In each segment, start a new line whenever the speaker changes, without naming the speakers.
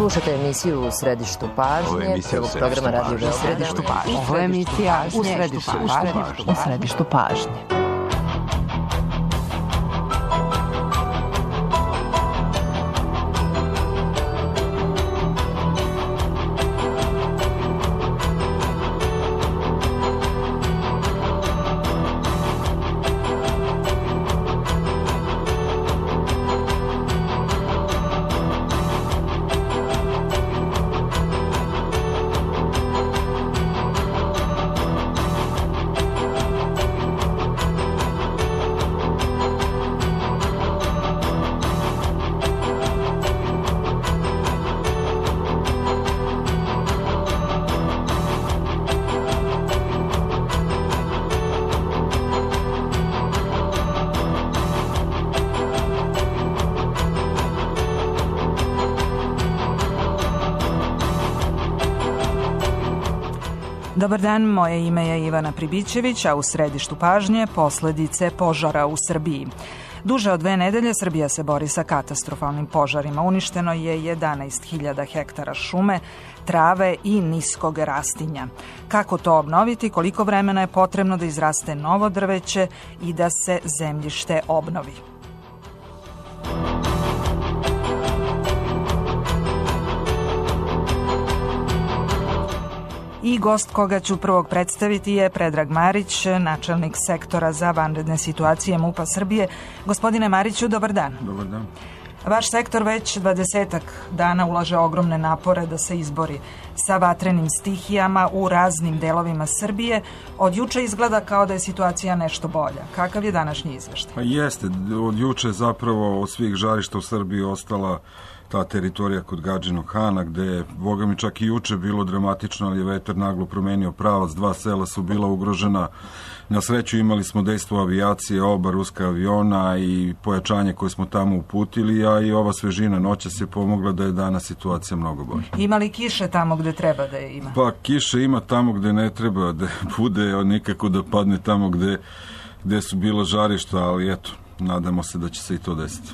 Slušate emisiju U središtu pažnje, prvog programa Radio Beograd.
U središtu pažnje. Ovo je emisija U središtu pažnje.
Dobar dan, moje ime je Ivana Pribićević, a u središtu pažnje posledice požara u Srbiji. Duže od 2 nedelje Srbija se bori sa katastrofalnim požarima. Uništeno je 11.000 hektara šume, trave i niskog rastinja. Kako to obnoviti, koliko vremena je potrebno da izraste novo drveće i da se zemljište obnovi? I gost koga ću prvog predstaviti je Predrag Marić, načelnik sektora za vanredne situacije MUP-a Srbije. Gospodine Mariću, dobar dan.
Dobar dan.
Vaš sektor već 20 dana ulaže ogromne napore da se izbori sa vatrenim stihijama u raznim delovima Srbije. Od juče izgleda kao da je situacija nešto bolja. Kakav je današnji izveštaj?
Pa jeste, od juče zapravo od svih žarišta u Srbiji ostala ta teritorija kod Gadžinog Hana, gde je, boga mi, čak i juče bilo dramatično, ali je vetar naglo promenio pravac, 2 sela su bila ugrožena. Na sreću imali smo dejstvo avijacije, oba ruska aviona i pojačanje koje smo tamo uputili, a i ova svežina noćas je pomogla da je danas situacija mnogo bolja.
Ima li kiše tamo gde treba da je ima?
Pa kiše ima tamo gde ne treba da bude, nikako da padne tamo gde su bila žarišta, ali eto, nadamo se da će se i to desiti.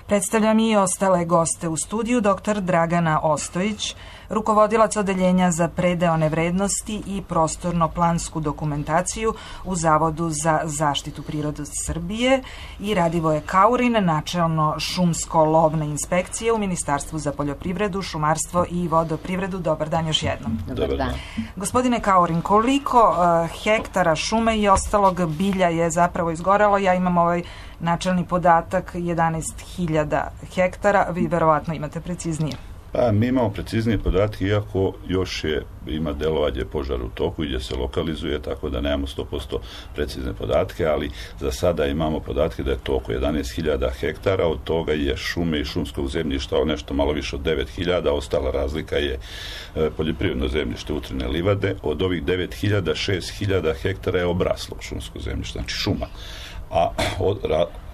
Predstavljam i ostale goste u studiju, dr. Dragana Ostojić, rukovodilac odeljenja za predeone vrednosti i prostorno-plansku dokumentaciju u Zavodu za zaštitu prirode Srbije, i Radivoje Kaurin, načelno šumsko-lovne inspekcije u Ministarstvu za poljoprivredu, šumarstvo i vodoprivredu. Dobar dan još jednom.
Dobar dan.
Gospodine Kaurin, koliko hektara šume i ostalog bilja je zapravo izgorelo? Ja imam ovaj načelni podatak 11.000 hektara, vi verovatno imate preciznije.
Pa, mi imamo preciznije podatke, iako još ima delovanje požara u toku i gdje se lokalizuje, tako da nemamo 100% precizne podatke, ali za sada imamo podatke da je to oko 11.000 hektara, od toga je šume i šumskog zemljišta nešto malo više od 9.000, ostala razlika je poljoprivredno zemljište, utrine livade. Od ovih 9.000, 6.000 hektara je obraslo šumsko zemljište, znači šuma. A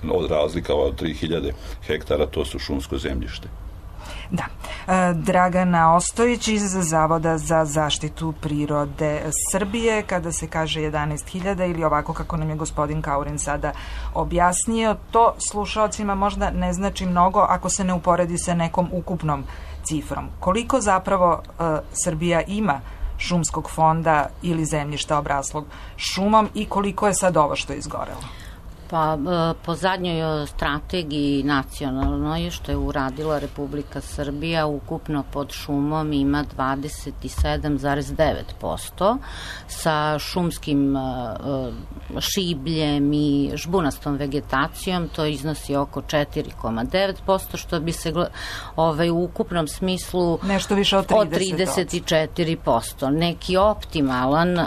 od razlika od 3.000 hektara to su šumsko zemljište.
Da. Dragana Ostojić iz Zavoda za zaštitu prirode Srbije, kada se kaže 11.000 ili ovako kako nam je gospodin Kaurin sada objasnio, to slušalcima možda ne znači mnogo ako se ne uporedi sa nekom ukupnom cifrom. Koliko zapravo Srbija ima šumskog fonda ili zemljišta obraslog šumom i koliko je sad ovo što je izgorelo?
Pa, po zadnjoj strategiji nacionalnoj što je uradila Republika Srbija, ukupno pod šumom ima 27,9%, sa šumskim šibljem i žbunastom vegetacijom to iznosi oko 4,9%, što bi se u ukupnom smislu
nešto više od
34%. Neki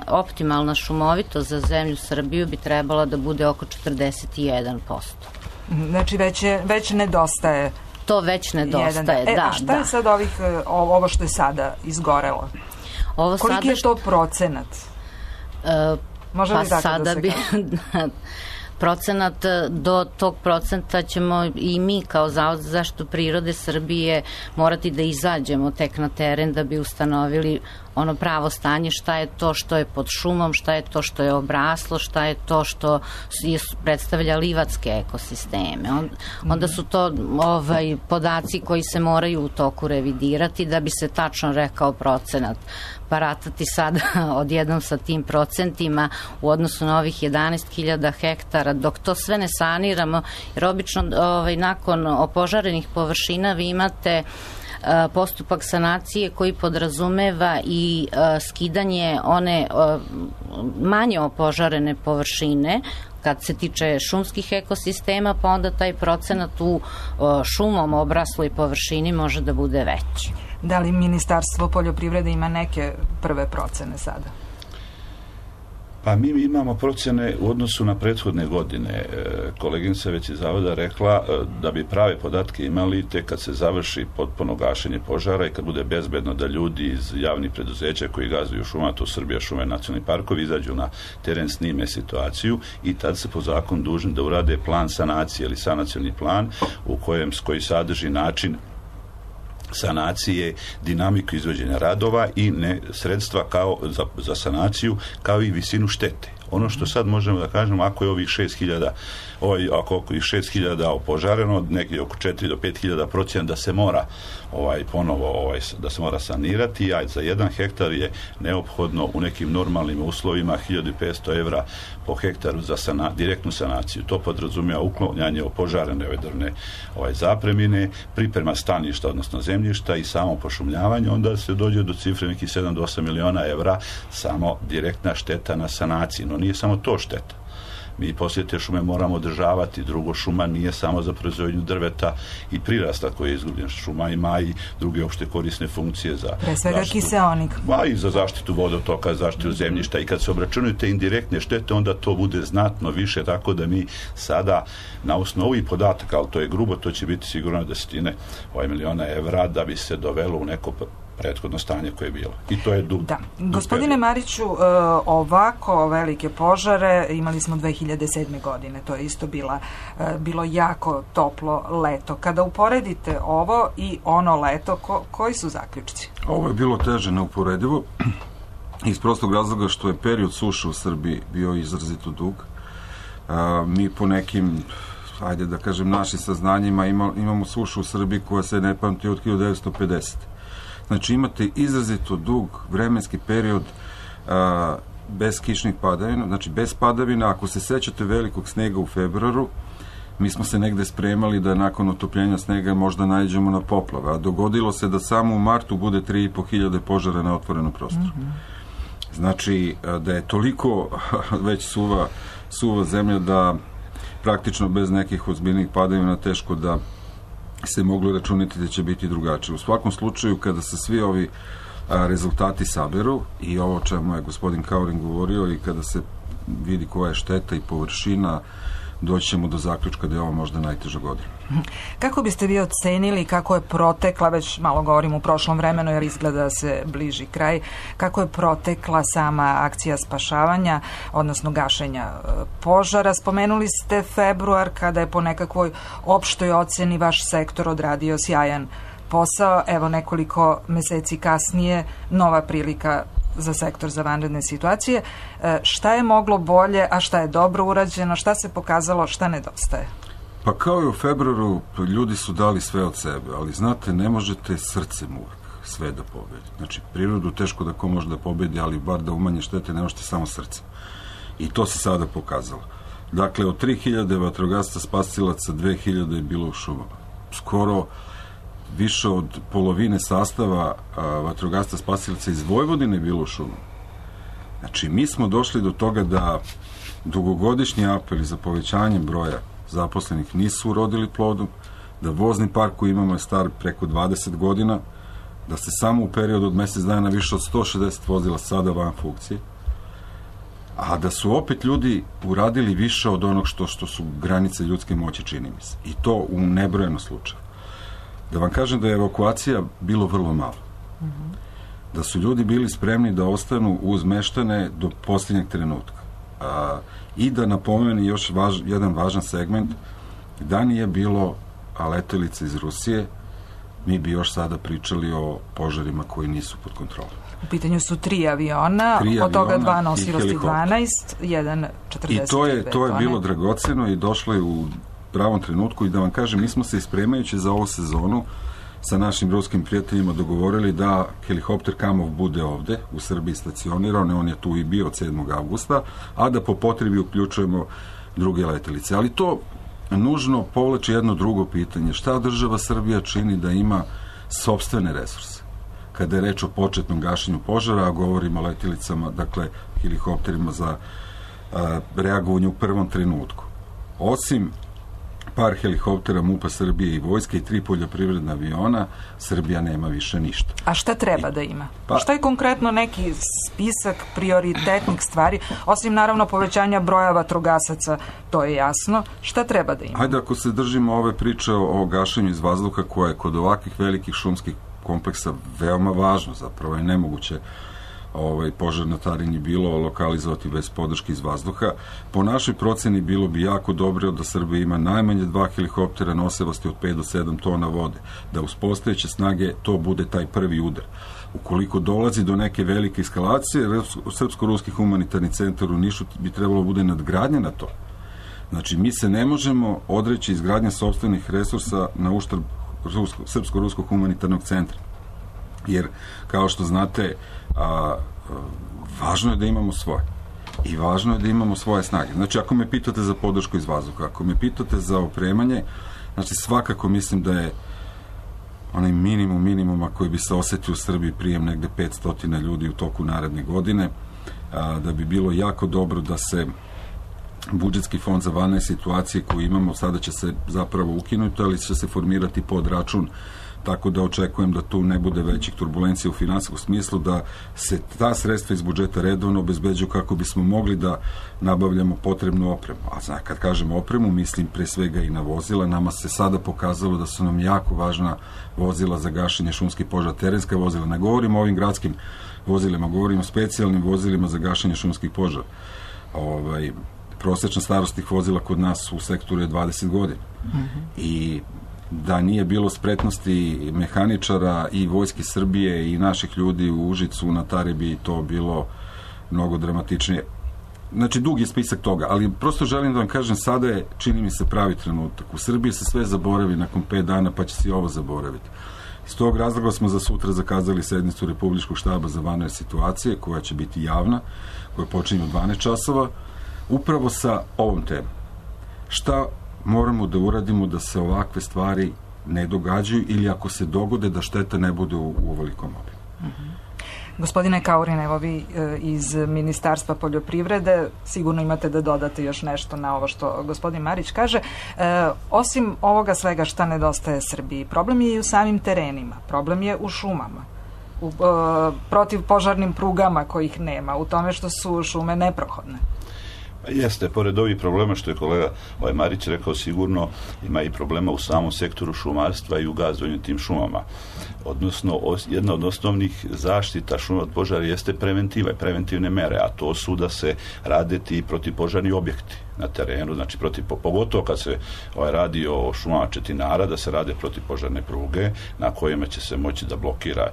optimalna šumovitost za zemlju Srbiju bi trebala da bude oko 41%.
Znači već nedostaje.
To već nedostaje, da.
A šta je sad ovo što je sada izgorelo? Koliki je to procenat?
Može li tako da se kaže? procenat, do tog procenta ćemo i mi kao Zavod za zaštitu prirode Srbije morati da izađemo tek na teren da bi ustanovili ono pravo stanje, šta je to što je pod šumom, šta je to što je obraslo, šta je to što predstavlja livatske ekosisteme. Onda su to podaci koji se moraju u toku revidirati da bi se tačno rekao procenat. Baratati sada odjednom sa tim procentima u odnosu na ovih 11.000 hektara, dok to sve ne saniramo, jer obično nakon opožarenih površina vi imate postupak sanacije koji podrazumeva i skidanje one manje opožarene površine kad se tiče šumskih ekosistema, pa onda taj procenat u šumom obrasloj površini može da bude veći.
Da li Ministarstvo poljoprivrede ima neke prve procene sada?
Pa mi imamo procjene u odnosu na prethodne godine. Koleginica već iz Zavoda rekla da bi prave podatke imali tek kad se završi potpuno gašenje požara i kad bude bezbedno da ljudi iz javnih preduzeća koji gazuju šuma, to Srbija šume, nacionalni parkovi, izađu na teren, snime situaciju i tad se po zakonu dužni da urade plan sanacije ili sanacioni plan koji sadrži način sanacije, dinamiku izvođenja radova i sredstva kao za sanaciju, kao i visinu štete. Ono što sad možemo da kažemo, ako je ovih 6.000 opožareno, negdje oko 4 do 5.000 procjena da se mora ponovo da se mora sanirati, a za 1 hektar je neophodno u nekim normalnim uslovima 1.500 evra po hektaru za direktnu sanaciju. To podrazumijeva uklanjanje opožarene drvne zapremine, priprema staništa, odnosno zemljišta i samo pošumljavanje, onda se dođe do cifre nekih 7 do 8 miliona evra samo direktna šteta na sanaciji. No nije samo to šteta. Mi poslije te šume moramo održavati. Drugo, šuma nije samo za proizvodnju drveta i prirasta koji je izgubljen. Šuma ima i druge opšte korisne funkcije za
pre svega kiseonik.
I za zaštitu vodotoka, zaštitu zemljišta i kad se obračunaju te indirektne štete, onda to bude znatno više, tako da mi sada na osnovu ovih podataka, ali to je grubo, to će biti sigurno desetine miliona evra da bi se dovelo u neko prethodno stanje koje je bilo. I to je dug.
Da. Gospodine Mariću, ovako velike požare imali smo 2007. godine. To je isto bilo jako toplo leto. Kada uporedite ovo i ono leto, koji su zaključci?
Ovo je bilo teže neuporedivo iz prostog razloga što je period suše u Srbiji bio izrazito dug. Mi po nekim, ajde da kažem, našim saznanjima imamo sušu u Srbiji koja se ne pamti od 1950. Znači imate izrazito dug vremenski period bez kišnih padavina, znači bez padavina. Ako se sećate velikog snega u februaru, mi smo se negde spremali da nakon otopljenja snega možda naiđemo na poplave, a dogodilo se da samo u martu bude 3.500 požara na otvorenom prostoru. Znači da je toliko već suva zemlja da praktično bez nekih ozbiljnih padavina teško da se moglo računati da će biti drugačije. U svakom slučaju, kada se svi ovi rezultati saberu i ovo o čemu je gospodin Kaurin govorio i kada se vidi koja je šteta i površina, doći ćemo do zaključka da je ovo možda najteža godina.
Kako biste vi ocenili kako je protekla, već malo govorim u prošlom vremenu jer izgleda da se bliži kraj, kako je protekla sama akcija spašavanja, odnosno gašenja požara? Spomenuli ste februar kada je po nekakvoj opštoj oceni vaš sektor odradio sjajan posao. Evo nekoliko meseci kasnije nova prilika za sektor za vanredne situacije. Šta je moglo bolje, a šta je dobro urađeno, šta se pokazalo, šta nedostaje?
Pa kao i u februaru, ljudi su dali sve od sebe, ali znate, ne možete srcem uvek sve da pobedi. Znači, prirodu teško da ko može da pobedi, ali bar da umanje štete ne možete samo srcem. I to se sada pokazalo. Dakle, od 3.000 vatrogasca spasilaca, 2.000 je bilo u šumama. Skoro više od polovine sastava vatrogasca spasilaca iz Vojvodine je bilo u šumama. Znači, mi smo došli do toga da dugogodišnji apeli za povećanjem broja zaposlenih nisu urodili plodom, da vozni park koji imamo je star preko 20 godina, da se samo u periodu od mesec dana više od 160 vozila sada van funkcije, a da su opet ljudi uradili više od onog što su granice ljudske moći, čini mi se. I to u nebrojeno slučaju. Da vam kažem da je evakuacija bilo vrlo malo. Da su ljudi bili spremni da ostanu uz meštane do posljednjeg trenutka. I da napomeni još jedan važan segment, da nije bilo letelice iz Rusije, mi bi još sada pričali o požarima koji nisu pod kontrolom.
U pitanju su 3 aviona, od toga 2 nosilosti 12, jedan 45
I to je bilo dragoceno i došlo je u pravom trenutku. I da vam kažem, mi smo se ispremajući za ovu sezonu sa našim ruskim prijateljima dogovorili da helikopter Kamov bude ovde u Srbiji stacioniran, on je tu i bio od 7. avgusta, a da po potrebi uključujemo druge letelice. Ali to nužno povlači jedno drugo pitanje. Šta država Srbija čini da ima sopstvene resurse? Kada je reč o početnom gašenju požara, a govorimo o letjelicama, dakle, helikopterima za reagovanje u prvom trenutku. Osim par helikoptera MUP-a Srbije i vojske i 3 poljoprivredna aviona, Srbija nema više ništa.
A šta treba da ima? Šta je konkretno neki spisak prioritetnih stvari, osim naravno povećanja broja vatrogasaca, to je jasno, šta treba da ima?
Hajde, ako se držimo ove priče o gašenju iz vazduha, koja je kod ovakvih velikih šumskih kompleksa veoma važno, zapravo je nemoguće požar na Tarinji bilo lokalizovati bez podrške iz vazduha. Po našoj proceni bilo bi jako dobro da Srbija ima najmanje 2 helikoptera nosivosti od 5 do 7 tona vode, da uz postojeće snage to bude taj prvi udar. Ukoliko dolazi do neke velike eskalacije, Srpsko-ruski humanitarni centar u Nišu bi trebalo bude nadgradnja na to. Znači, mi se ne možemo odreći izgradnje sopstvenih resursa na uštrb Srpsko-ruskog humanitarnog centra. Jer, kao što znate, važno je da imamo svoje. I važno je da imamo svoje snage. Znači, ako me pitate za podršku iz vazduha, ako me pitate za opremanje, znači, svakako mislim da je onaj minimuma koji bi se osetio u Srbiji prijem negde 500 ljudi u toku naredne godine, da bi bilo jako dobro da se budžetski fond za vanredne situacije koji imamo, sada će se zapravo ukinuti, ali će se formirati pod račun, tako da očekujem da tu ne bude većih turbulencija u finansijskom smislu, da se ta sredstva iz budžeta redovno obezbeđuju kako bismo mogli da nabavljamo potrebnu opremu. A kad kažem opremu, mislim pre svega i na vozila. Nama se sada pokazalo da su nam jako važna vozila za gašenje šumskih požara, terenska vozila. Ne govorimo o ovim gradskim vozilima, govorimo o specijalnim vozilima za gašenje šumskih požara. Prosečna starost tih vozila kod nas u sektoru je 20 godina. I da nije bilo spretnosti mehaničara i vojske Srbije i naših ljudi u Užicu na Tari bi to bilo mnogo dramatičnije. Znači, dug je spisak toga, ali prosto želim da vam kažem, sada je, čini mi se, pravi trenutak. U Srbiji se sve zaboravi nakon 5 dana, pa će se i ovo zaboraviti. Iz tog razloga smo za sutra zakazali sednicu Republičkog štaba za vanredne situacije, koja će biti javna, koja počinje u 12 časova, upravo sa ovom temom. Šta moramo da uradimo da se ovakve stvari ne događaju ili ako se dogode da šteta ne bude u ovolikom obimu.
Gospodine Kaurin, evo vi iz Ministarstva poljoprivrede sigurno imate da dodate još nešto na ovo što gospodin Marić kaže. Osim ovoga svega šta nedostaje Srbiji, problem je i u samim terenima, problem je u šumama, u protivpožarnim prugama kojih nema, u tome što su šume neprohodne.
Jeste, pored ovih problema što je kolega Marić rekao, sigurno ima i problema u samom sektoru šumarstva i u gazdovanju tim šumama. Odnosno, jedna od osnovnih zaštita šuma od požara jeste preventiva i preventivne mere, a to su da se rade ti protivpožarni objekti na terenu, znači pogotovo kad se radi o šumama četinara, da se rade protivpožarne pruge na kojima će se moći da blokira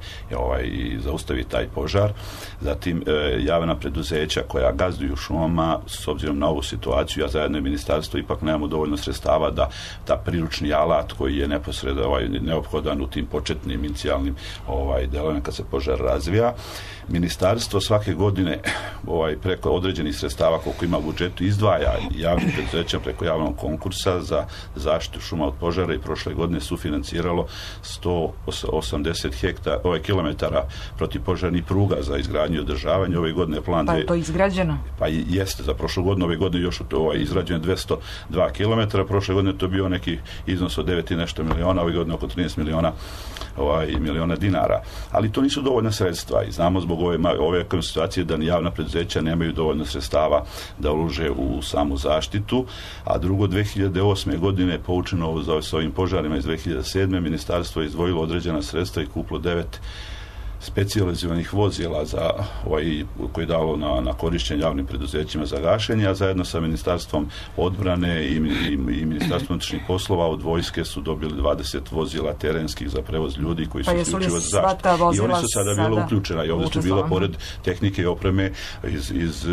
i zaustavi taj požar. Zatim javna preduzeća koja gazduju šumama, s obzirom na ovu situaciju, ja zajedno i ministarstvo ipak nemamo dovoljno sredstava da ta priručni alat koji je neposredno neophodan u tim početnim inicijalnim delovima kad se požar razvija. Ministarstvo svake godine preko određenih sredstava koliko ima u budžetu izdvaja javnim preduzećima preko javnog konkursa za zaštitu šuma od požara i prošle godine sufinanciralo 180 kilometara protivpožarnih pruga za izgradnju i održavanje. Ove godine je plan...
Pa je to izgrađeno?
Pa jeste, za prošlu godinu, ove godine još izgrađeno 202 kilometara, prošle godine to bio neki iznos od 9 i nešto miliona, ove godine oko 13 miliona dinara. Ali to nisu dovoljna sredstva i znamo zbog ove situacije da ni javna preduzeća nemaju dovoljno sredstava da ulože u samu zaštitu, a drugo, 2008. godine poučeno s ovim požarima iz 2007. ministarstvo je izdvojilo određena sredstva i kupilo 9 specijalizovanih vozila za koji je dalo na korišćenje javnim preduzećima za gašenje, a zajedno sa Ministarstvom odbrane i Ministarstvom unutrašnjih poslova od vojske su dobili 20 vozila terenskih za prevoz ljudi koji su isključivo za zaštitu. I oni su sada bila uključena i ovdje su bila pored tehnike i opreme iz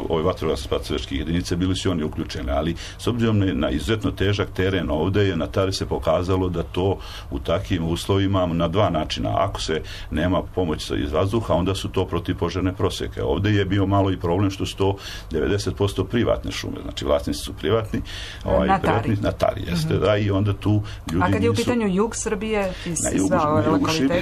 ove vatrogasno-spasilačke jedinice, bili su oni uključeni, ali s obzirom na izuzetno težak teren ovdje je na Tari se pokazalo da to u takvim uslovima na dva načina. Ako se nema pomoć iz vazduha, onda su to protivpožarne proseke. Ovdje je bio malo i problem što su to 90% privatne šume, znači vlasnici su privatni, na Tari jeste, da, i onda tu ljudi
A kad je u pitanju jug Srbije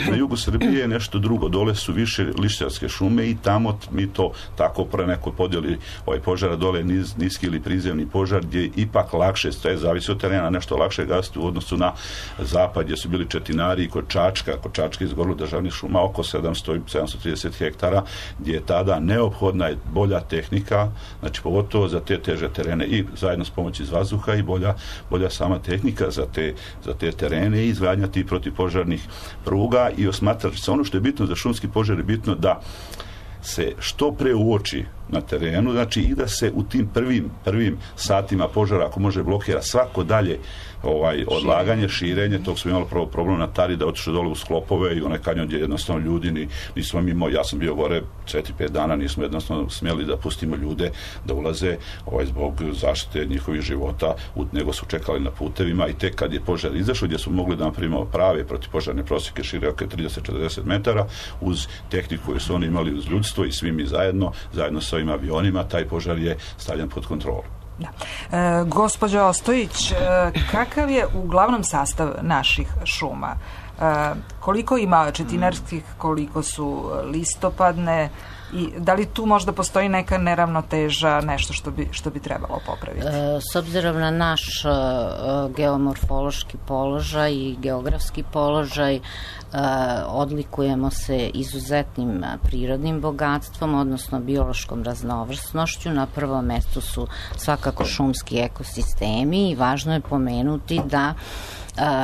na jugu Srbije je nešto drugo, dole su više lišćarske šume i tamo mi to tako pre neko podijeli požara dole niski ili prizemni požar gdje je ipak lakše, zavisi od terena, nešto lakše gasiti u odnosu na zapad gdje su bili Četinari i kod Čačka izgorilo državnih šuma oko 730 hektara gdje je tada neophodna bolja tehnika, znači pogotovo za te teže terene i zajedno s pomoći iz vazduha i bolja sama tehnika za te terene i izgradnja tih protivpožarnih pruga i osmatrač se. Ono što je bitno za šumski požar je bitno da se što pre uoči na terenu, znači i da se u tim prvim satima požara, ako može, blokira svako dalje odlaganje, širenje. Tog smo imali problem na Tari da otišli dole u sklopove i onaj kanjon gdje jednostavno ljudi nismo mimo, ja sam bio gore 4-5 dana, nismo jednostavno smjeli da pustimo ljude da ulaze zbog zaštite njihovih života, nego su čekali na putevima i tek kad je požar izašao gdje smo mogli da napravimo prave protivpožarne prosjeke šire oko 30-40 metara uz tehniku koju su oni imali uz ljudstvo i svi mi zajedno sa ovim avionima, taj požar je stavljen pod kontrolu.
Da. Gospođo Ostojić, kakav je uglavnom sastav naših šuma? Koliko ima četinarskih, koliko su listopadne i da li tu možda postoji neka neravnoteža, nešto što bi trebalo popraviti?
S obzirom na naš geomorfološki položaj i geografski položaj, odlikujemo se izuzetnim prirodnim bogatstvom, odnosno biološkom raznovrsnošću. Na prvom mjestu su svakako šumski ekosistemi i važno je pomenuti da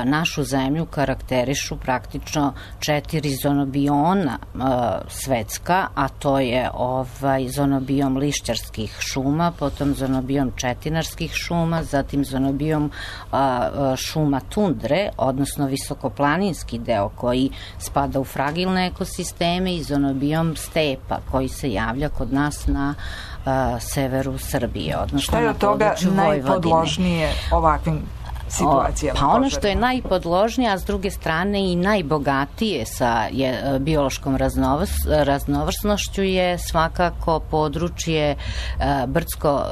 našu zemlju karakterišu praktično 4 zonobiona svetska, a to je zonobiom lišćarskih šuma, potom zonobiom četinarskih šuma, zatim zonobiom šuma tundre, odnosno visokoplaninski deo koji spada u fragilne ekosisteme i zonobiom stepa koji se javlja kod nas na severu Srbije, odnosno na području Vojvodine.
Šta je najpodložnije ovakvim situacijama?
Pa ono što je najpodložnije, a s druge strane i najbogatije sa biološkom raznovrsnošću je svakako područje brdsko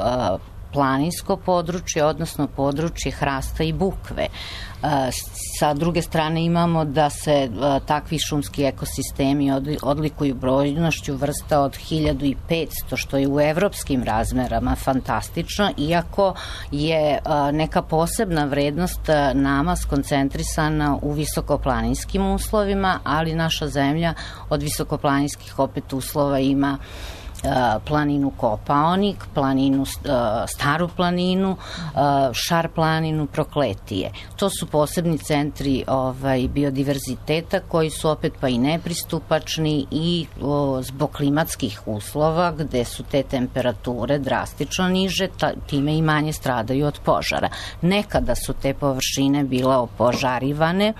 planinsko područje, odnosno područje hrasta i bukve. Sa druge strane imamo da se takvi šumski ekosistemi odlikuju brojnošću vrsta od 1500, što je u evropskim razmerama fantastično, iako je neka posebna vrednost nama skoncentrisana u visokoplaninskim uslovima, ali naša zemlja od visokoplaninskih opet uslova ima planinu Kopaonik, Staru planinu, Šar planinu, Prokletije. To su posebni centri biodiverziteta koji su opet pa i nepristupačni i zbog klimatskih uslova gde su te temperature drastično niže, time i manje stradaju od požara. Nekada su te površine bile opožarivane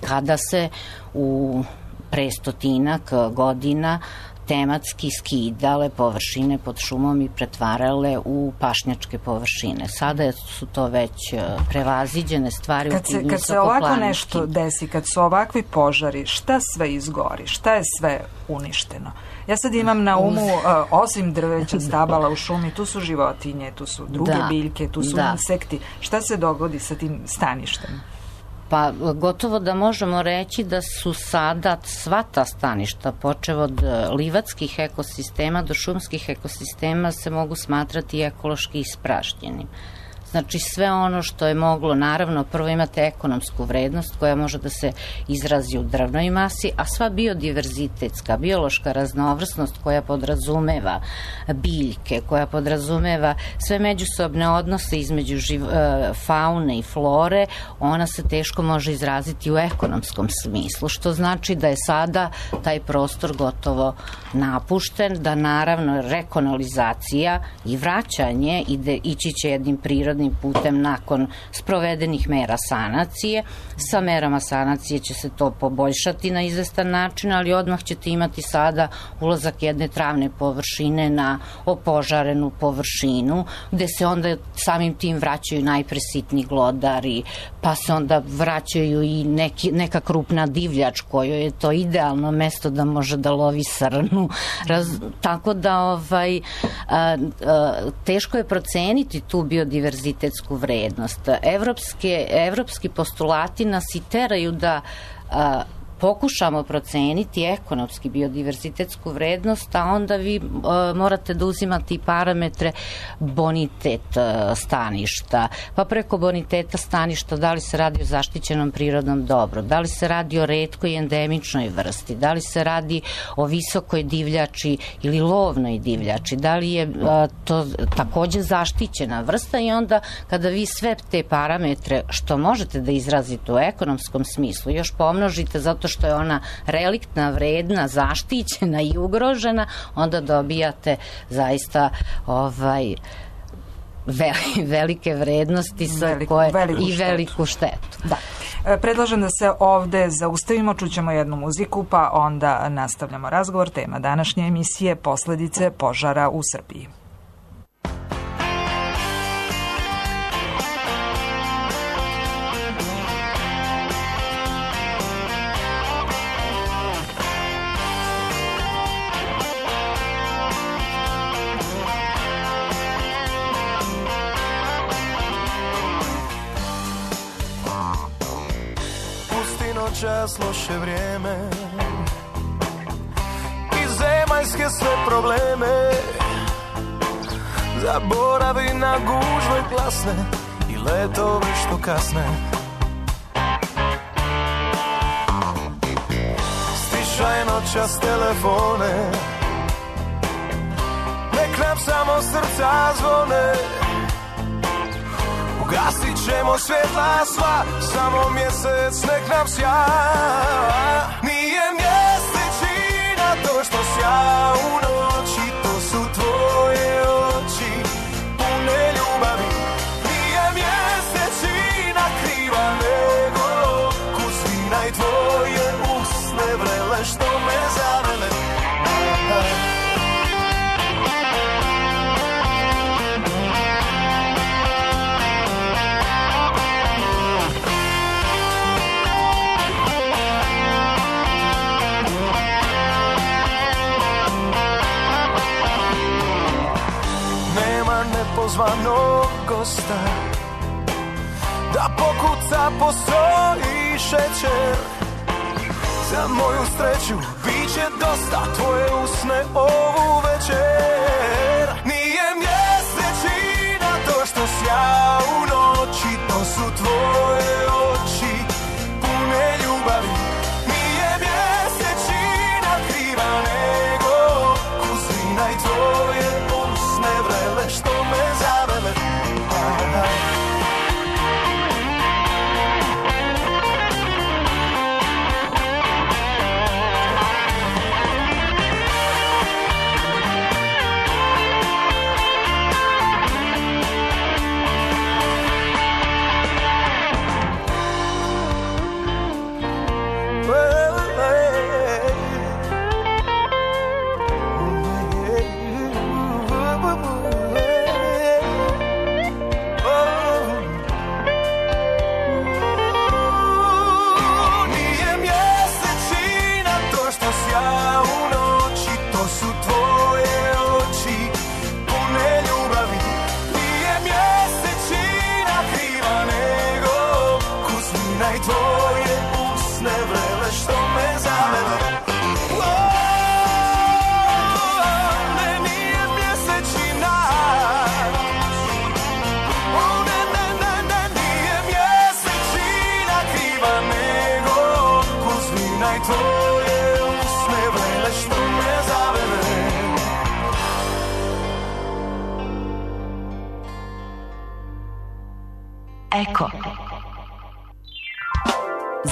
kada se u pre 100 godina tematski skidale površine pod šumom i pretvarale u pašnjačke površine. Sada su to već prevaziđene stvari.
Kad se ovako nešto desi, kad su ovakvi požari, šta sve izgori? Šta je sve uništeno? Ja sad imam na umu, osim drveća, stabala u šumi, tu su životinje, tu su druge biljke, tu su insekti. Šta se dogodi sa tim staništem?
Pa gotovo da možemo reći da su sada sva ta staništa, počev od livatskih ekosistema do šumskih ekosistema, se mogu smatrati ekološki ispražnjenim. Znači sve ono što je moglo, naravno prvo imate ekonomsku vrednost koja može da se izrazi u drvnoj masi, a sva biodiverzitetska, biološka raznovrsnost koja podrazumeva biljke, koja podrazumeva sve međusobne odnose između faune i flore, ona se teško može izraziti u ekonomskom smislu, što znači da je sada taj prostor gotovo napušten, da naravno rekonalizacija i vraćanje ići će jednim prirodnim putem nakon sprovedenih mera sanacije. Sa merama sanacije će se to poboljšati na izvestan način, ali odmah ćete imati sada ulazak jedne travne površine na opožarenu površinu, gde se onda samim tim vraćaju najpre sitni glodari, pa se onda vraćaju i neka krupna divljač kojoj je to idealno mesto da može da lovi srnu. Tako da teško je proceniti tu biodiverzitetsku vrednost. Evropski postulati nas i teraju da pokušamo proceniti ekonomski biodiverzitetsku vrednost, a onda vi morate da uzimate i parametre bonitet staništa, pa preko boniteta staništa da li se radi o zaštićenom prirodnom dobru, da li se radi o retkoj i endemičnoj vrsti, da li se radi o visokoj divljači ili lovnoj divljači, da li je to takođe zaštićena vrsta i onda kada vi sve te parametre što možete da izrazite u ekonomskom smislu još pomnožite zato što je ona reliktna, vredna, zaštićena i ugrožena, onda dobijate zaista velike vrednosti i veliku štetu.
Da. Predlažem da se ovde zaustavimo, čućemo jednu muziku, pa onda nastavljamo razgovor. Tema današnje emisije: posledice požara u Srbiji.
Čas loše vrijeme i zemaljske sve probleme, zaboravi na gužve glasne i letove što kasne. Stišaj noćas telefone, nek nam samo srca zvone. Ugasit ćemo svjetla sva, samo mjesec nek nam sja. Nije mjesečina to što sja u noći, to su tvoje oči pune ljubavi. Nije mjesečina kriva nego kusvina i tvoje usne vrele što me zavele. Pozvanog gosta da pokuca postoji šećer. Za moju sreću bit će dosta tvoje usne ovu večer. Nije mjesečina to što sja u noći, to su tvoje oči pune ljubavi. Nije mjesečina kriva nego kusina i tvoje usne vrele što me zavele. tvoje usne vrele što me zavere.
Eko.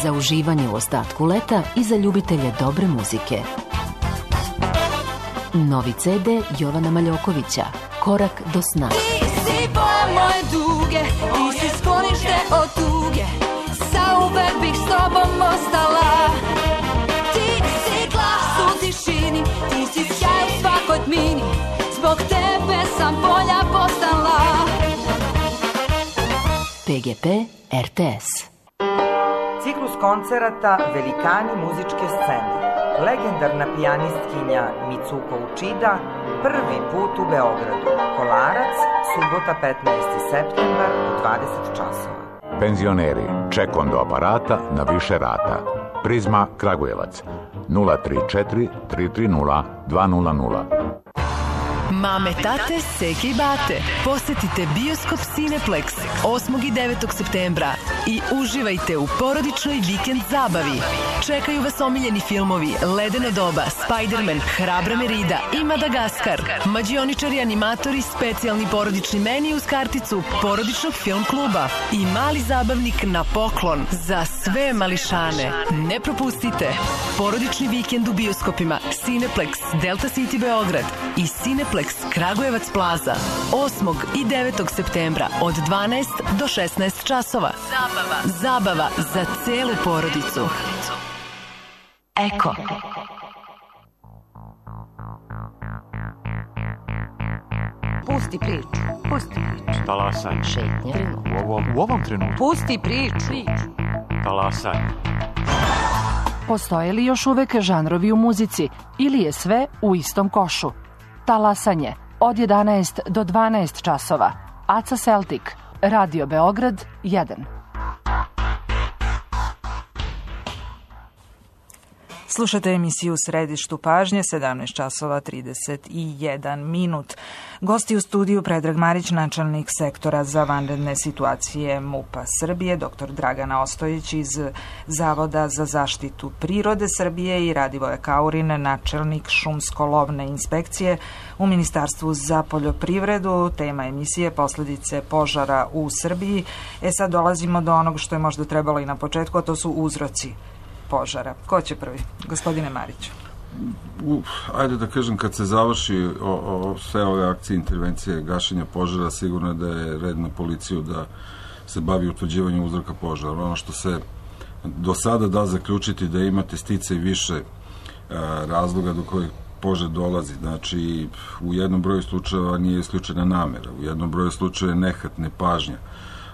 Za uživanje u ostatku leta i za ljubitelje dobre muzike. Novi CD Jovana Maljokovića, Korak do sna.
Ti si boja moje duge, ti si sklonište od tuge, zauvek bih s tobom ostala. Ti si glas u tišini, ti si sjaj u svakoj tmini, zbog tebe sam bolja postala.
PGP RTS.
Ciklus koncerata Velikani muzičke scene. Legendarna pijanistkinja Mitsuko Uchida prvi put u Beogradu. Kolarac, subota 15. septembar u 20 časova.
Penzioneri, ček do aparata na više rata. Prizma Kragujevac 034 330 200.
Mame, tate, seke i bate, posetite Bioskop Cineplex 8. i 9. septembra i uživajte u porodičnoj vikend zabavi. Čekaju vas omiljeni filmovi Ledeno doba, Spider-Man, Hrabra Merida i Madagaskar. Mađioničari, animatori, specijalni porodični meni uz karticu porodičnog film kluba i mali zabavnik na poklon za sve mališane. Ne propustite porodični vikend u bioskopima Cineplex Delta City Beograd i Cineplex Kragujevac Plaza 8. i 9. septembra od 12 do 16 časova. Zabava za celu porodicu. Eko.
Pusti priču. Pusti priču.
Talasaj.
Šetnja.
U ovom trenutku.
Pusti priču.
Talasaj.
Postoje li još uvek žanrovi u muzici ili je sve u istom košu? Talasanje od 11 do 12 časova. Aca Celtic, Radio Beograd 1.
Slušate emisiju Središtu pažnje, 17 časova 31 minut. Gosti u studiju Predrag Marić, načelnik sektora za vanredne situacije MUP-a Srbije, dr. Dragana Ostojić iz Zavoda za zaštitu prirode Srbije i Radivoje Kaurin, načelnik šumsko-lovne inspekcije u Ministarstvu za poljoprivredu. Tema emisije posledice požara u Srbiji. Sad dolazimo do onog što je možda trebalo i na početku, a to su uzroci požara. Ko će prvi? Gospodine Mariću.
Ajde da kažem, kad se završi sve ove akcije, intervencije, gašenja požara, sigurno je da je red na policiju da se bavi utvrđivanjem uzroka požara. Ono što se do sada da zaključiti da imate stice i više razloga do kojih požar dolazi. Znači, u jednom broju slučajeva nije isključena namera, u jednom broju slučajeva je nehat, nepažnja,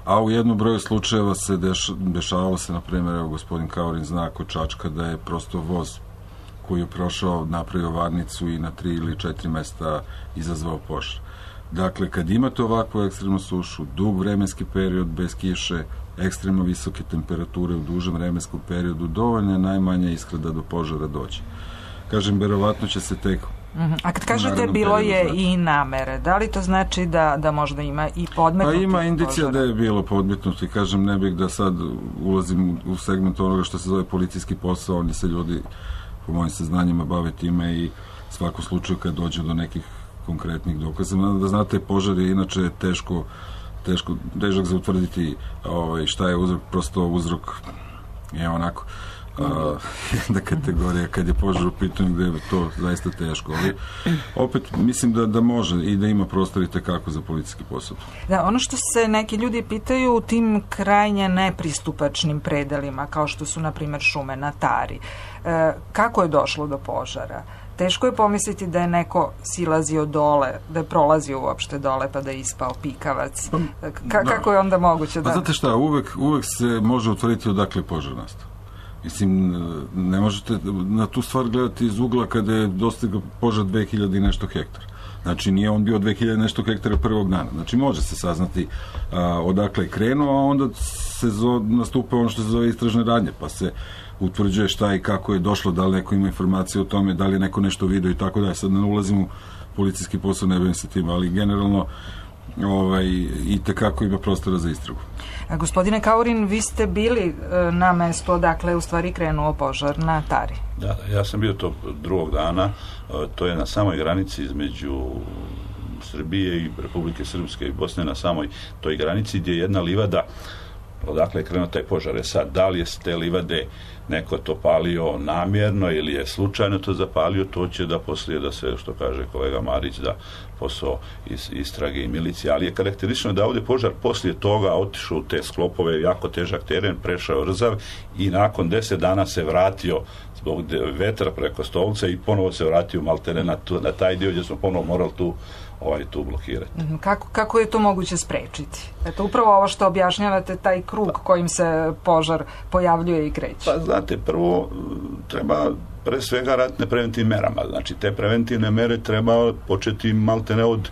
a u jednom broju slučajeva se dešavalo se, na primjer, evo gospodin Kaurin zna kod Čačka da je prosto voz koji je prošao, napravio varnicu i na 3 ili 4 mesta izazvao požar. Dakle, kad imate ovakvu ekstremnu sušu, dug vremenski period bez kiše, ekstremno visoke temperature u dužem vremenskom periodu, dovoljno je najmanje iskra da do požara dođe. Kažem, verovatno će se tek...
A kad kažete bilo je i namere, da li to znači da možda ima i podmetnuti?
Pa ima indicija da je bilo podmetnuti, kažem, ne bih da sad ulazim u segment onoga što se zove policijski posao, oni se ljudi, po mojim saznanjima, bave time i svakom slučaju kad dođe do nekih konkretnih dokaza. Da znate, požar je inače težak za utvrditi šta je uzrok, prosto uzrok je onako jedna kategorija kad je požar u pitanju gde je to zaista teško, ali opet mislim da može i da ima prostor i tekako za policijski posao.
Da, ono što se neki ljudi pitaju u tim krajnje nepristupačnim predelima, kao što su na primjer šume na Tari, kako je došlo do požara? Teško je pomisliti da je neko silazio dole, da je prolazio uopšte dole pa da je ispao pikavac. Kako je onda moguće da...
Pa znate šta, uvek se može utvrditi odakle požar nastao. Mislim, ne možete na tu stvar gledati iz ugla kada je dostigao požar 2000 i nešto hektara. Znači, nije on bio 2000 i nešto hektara prvog dana. Znači, može se saznati odakle je krenuo, a onda se nastupa ono što se zove istražne radnje, pa se utvrđuje šta i kako je došlo, da li neko ima informacije o tome, da li je neko nešto vidio i tako da. Sad ne ulazim u policijski posao, ne bavim se tim, ali generalno i tekako ima prostora za istragu.
Gospodine Kaurin, vi ste bili na mestu odakle je u stvari krenuo požar na Tari.
Da, ja sam bio tog drugog dana, to je na samoj granici između Srbije i Republike Srpske i Bosne, na samoj toj granici gdje je jedna livada, odakle je krenuo taj požar. Sad, da li je s te livade neko to palio namjerno ili je slučajno to zapalio, to će da poslije da se, što kaže kolega Marić, da posao istrage i milicije, ali je karakteristično da ovdje požar poslije toga otišao u te sklopove, jako težak teren, prešao Rzav i nakon 10 dana se vratio zbog vetra preko Stolca i ponovo se vratio maltene na taj dio gdje smo ponovo morali tu blokirati.
Kako je to moguće sprečiti? Eto, upravo ovo što objašnjavate, taj krug kojim se požar pojavljuje i kreće.
Pa znate, prvo treba pre svega raditi na preventivnim merama. Znači, te preventivne mere treba početi maltene od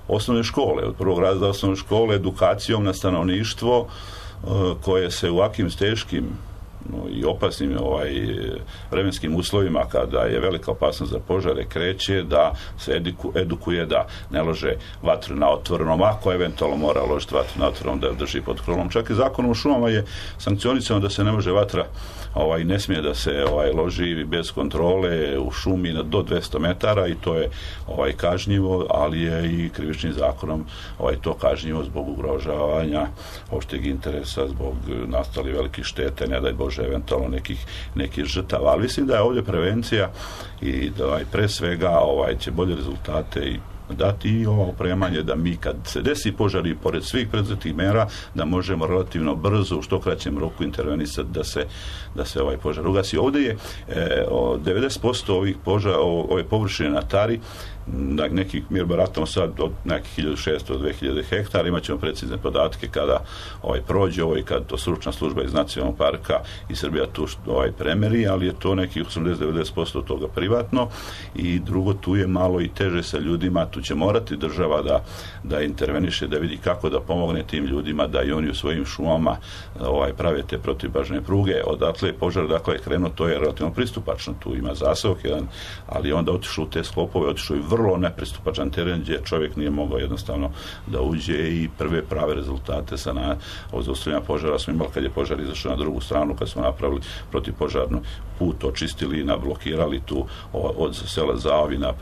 osnovne škole, od prvog razreda osnovne škole, edukacijom na stanovništvo koje se u ovakvim teškim i opasnim vremenskim uslovima, kada je velika opasnost za požare, kreće da se edukuje da ne lože vatru na otvorenom, ako eventualno mora ložiti vatru na otvorenom, da je drži pod krovnom. Čak i zakonom o šumama je sankcionisano da se ne može vatra, ne smije da se loži bez kontrole u šumi do 200 metara i to je kažnjivo, ali je i krivičnim zakonom to kažnjivo zbog ugrožavanja opšteg interesa, zbog nastali velikih štete, ne daj Bože eventualno nekih žrtava, ali mislim da je ovdje prevencija i da pre svega će bolje rezultate i dati i ovo opremanje da mi kad se desi požari pored svih predzetih mera da možemo relativno brzo u što kraćem roku intervenisati da se ovaj požar ugasi. Ovdje je 90% ovih požara, ove površine na Tari, mi baratamo sad od nekih 1600 do 2000 hektara, imat ćemo precizne podatke kada prođe i kad to stručna služba iz Nacionalnog parka i Srbija tu premeri, ali je to nekih 80-90% od toga privatno i drugo, tu je malo i teže sa ljudima, tu će morati država da interveniše, da vidi kako da pomogne tim ljudima, da i oni u svojim šumama prave te protivbažne pruge. Odatle je požar, dakle je krenuo, to je relativno pristupačno, tu ima zasavak jedan, ali onda otišao u te sklopove, otišao i vrlo nepristupačan teren gdje čovjek nije mogao jednostavno da uđe i prve prave rezultate sa zaustavljanja požara smo imali kad je požar izašao na drugu stranu, kad smo napravili protivpožarnu put, očistili i nablokirali tu od sela Zaovina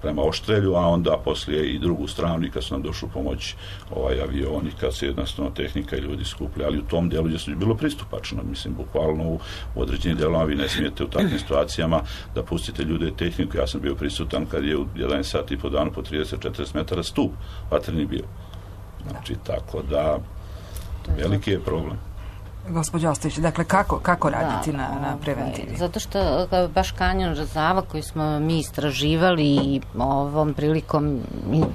prema Oštrelju, a onda poslije i drugu stranu i kad su nam došli pomoći avioni, kad se jednostavno tehnika i ljudi skupili, ali u tom dijelu gdje su bilo pristupačno, mislim, bukvalno u određenim dijelama vi ne smijete u takvim situacijama da pustite ljude i tehniku. Ja sam bio prisutan kad je u 11 sati i po danu po 30-40 metara stup vatreni bio. Znači, tako da veliki je problem.
Gospođo Ostojić, dakle, kako raditi na preventivi?
Zato što baš kanjon Rzava koji smo mi istraživali i ovom prilikom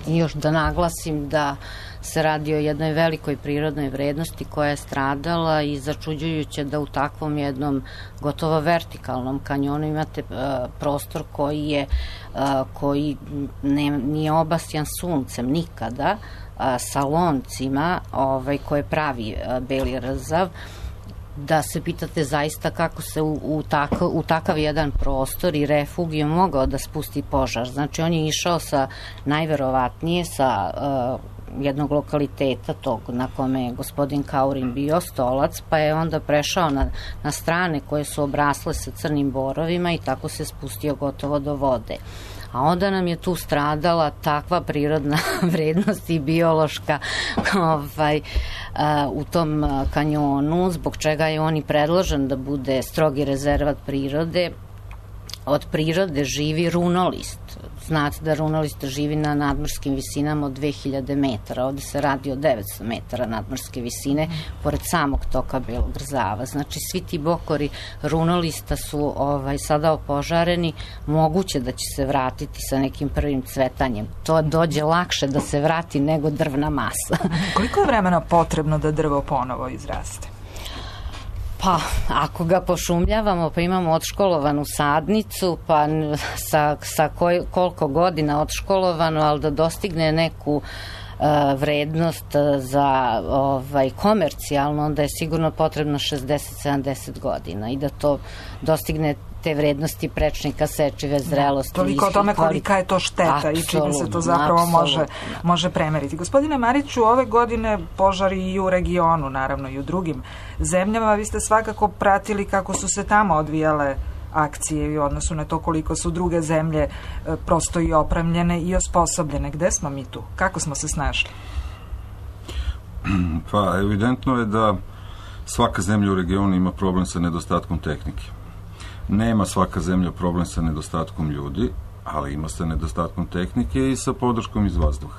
još da naglasim da se radi o jednoj velikoj prirodnoj vrednosti koja je stradala i začuđujuće da u takvom jednom gotovo vertikalnom kanjonu imate prostor koji nije obasjan suncem nikada, sa loncima koje pravi Beli Rzav, da se pitate zaista kako se u takav jedan prostor i refugiju mogao da spusti požar. Znači, on je išao najverovatnije sa jednog lokaliteta tog na kome je gospodin Kaurin bio, Stolac, pa je onda prešao na strane koje su obrasle sa crnim borovima i tako se spustio gotovo do vode. A onda nam je tu stradala takva prirodna vrednost i biološka u tom kanjonu, zbog čega je on i predložen da bude strogi rezervat prirode. Od prirode živi runolist. Znate da runolist živi na nadmorskim visinama od 2000 metara. Ovdje se radi o 900 metara nadmorske visine, pored samog toka Belog Rzava. Znači, svi ti bokori runolista su sada opožareni. Moguće da će se vratiti sa nekim prvim cvetanjem. To dođe lakše da se vrati nego drvna masa.
Koliko je vremena potrebno da drvo ponovo izraste?
Pa, ako ga pošumljavamo, pa imamo odškolovanu sadnicu, pa sa koliko godina odškolovano, ali da dostigne neku vrednost za komercijalno, onda je sigurno potrebno 60-70 godina i da to dostigne te vrednosti prečnika, sečive, zrelosti.
Toliko o tome kolika je to šteta i čime se to zapravo može premeriti. Gospodine Mariću, ove godine požari i u regionu, naravno i u drugim zemljama. Vi ste svakako pratili kako su se tamo odvijale akcije u odnosu na to koliko su druge zemlje prosto i opremljene i osposobljene. Gde smo mi tu? Kako smo se snašli?
Pa, evidentno je da svaka zemlja u regionu ima problem sa nedostatkom tehnike. Nema svaka zemlja problem sa nedostatkom ljudi, ali ima sa nedostatkom tehnike i sa podrškom iz vazduha.